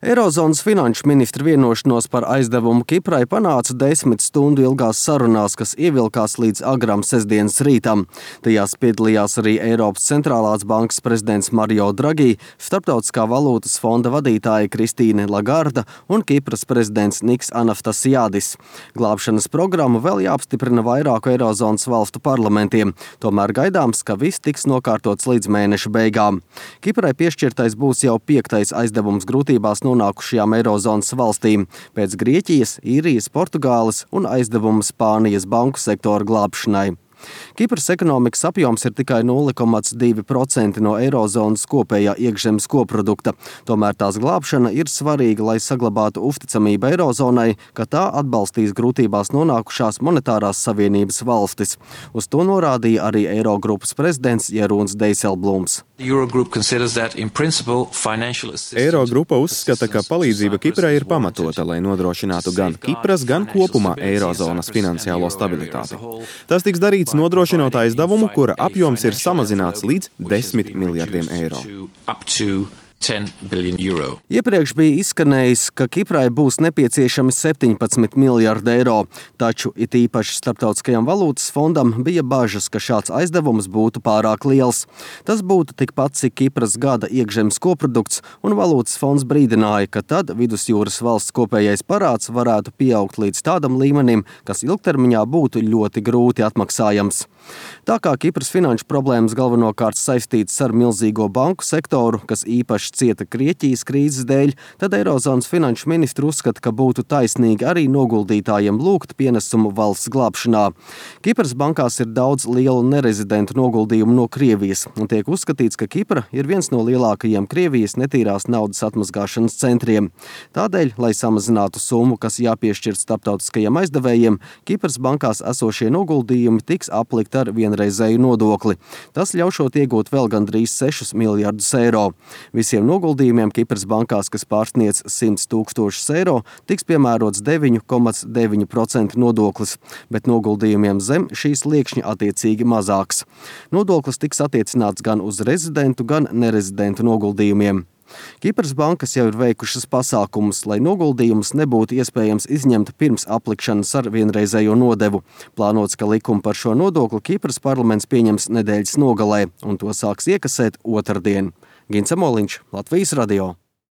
Eirozonas finanšu ministru vienošanos par aizdevumu Kiprai panāca 10 stundu ilgās sarunās, kas ievilkās līdz agram sestdienas rītam. Tajās piedalījās arī Eiropas centrālās bankas prezidents Mario Draghi, Starptautiskā valūtas fonda vadītāja Kristīne Lagarda un Kipras prezidents Niks Anaftasiadis. Glābšanas programmu vēl jāapstiprina vairāku Eirozonas valstu parlamentiem, tomēr gaidāms, ka viss tiks nokārtots līdz mēneša beigām. Kiprai piešķirtais būs jau 5. aizdevums grūtībās nonākušajām Eirozonas valstīm pēc Grieķijas, Īrijas, Portugāles un aizdevumu Spānijas banku sektora glābšanai. Kipras ekonomikas apjoms ir tikai 0,2% no Eirozonas kopējā iekšzemes koprodukta. Tomēr tās glābšana ir svarīga, lai saglabātu uzticamību Eirozonai, ka tā atbalstīs grūtībās nonākušās monetārās savienības valstis. Uz to norādīja arī Eirogrupas prezidents Jeroens Dijsselbloems. Eirogrupa uzskata, ka palīdzība Kiprai ir pamatota, lai nodrošinātu gan Kipras, gan kopumā Eirozonas finansiālo stabilitāti. Tas tiks darīts nodrošinot aizdevumu, kura apjoms ir samazināts līdz 10 miljardiem eiro. Iepriekš bija izskanējis, ka Kiprai būs nepieciešami 17 miljardi eiro, taču it īpaši Starptautiskajam valūtas fondam bija bažas, ka šāds aizdevums būtu pārāk liels. Tas būtu tikpat, cik Kipras gada iekšzemes koprodukts, un valūtas fonds brīdināja, ka tad vidusjūras valsts kopējais parāds varētu pieaugt līdz tādam līmenim, kas ilgtermiņā būtu ļoti grūti atmaksājams. Tā kā Kipras finanšu problēmas galvenokārt saistītas ar milzīgo banku sektoru, kas īpaši cieta Grieķijas krīzes dēļ, tad Eirozonas finanšu ministri uzskata, ka būtu taisnīgi arī noguldītājiem lūgt pienesumu valsts glābšanā. Kipras bankās ir daudz lielu nerezidentu noguldījumu no Krievijas, un tiek uzskatīts, ka Kipra ir viens no lielākajiem Krievijas netīrās naudas atmazgāšanas centriem. Tādēļ, lai samazinātu summu, kas jāpiešķir starptautiskajiem aizdevējiem, Kipras bankās esošie noguldījumi tiks aplikt ar vienreizēju nodokli. Tas ļaušot iegūt vēl gandrīz 6 miljardus eiro. Visiem noguldījumiem Kipras bankās, kas pārsniedz 100 000 eiro, tiks piemērots 9,9% nodoklis, bet noguldījumiem zem šīs sliekšņa attiecīgi mazāks. Nodoklis tiks attiecināts gan uz rezidentu, gan nerezidentu noguldījumiem. Kipras bankas jau ir veikušas pasākumus, lai noguldījumus nebūtu iespējams izņemt pirms aplikšanas ar vienreizējo nodevu. Plānots, ka likumu par šo nodokli Kipras parlaments pieņems nedēļas nogalē, un to sāks iekasēt otrdien. Gins Amoliņš, Latvijas radio.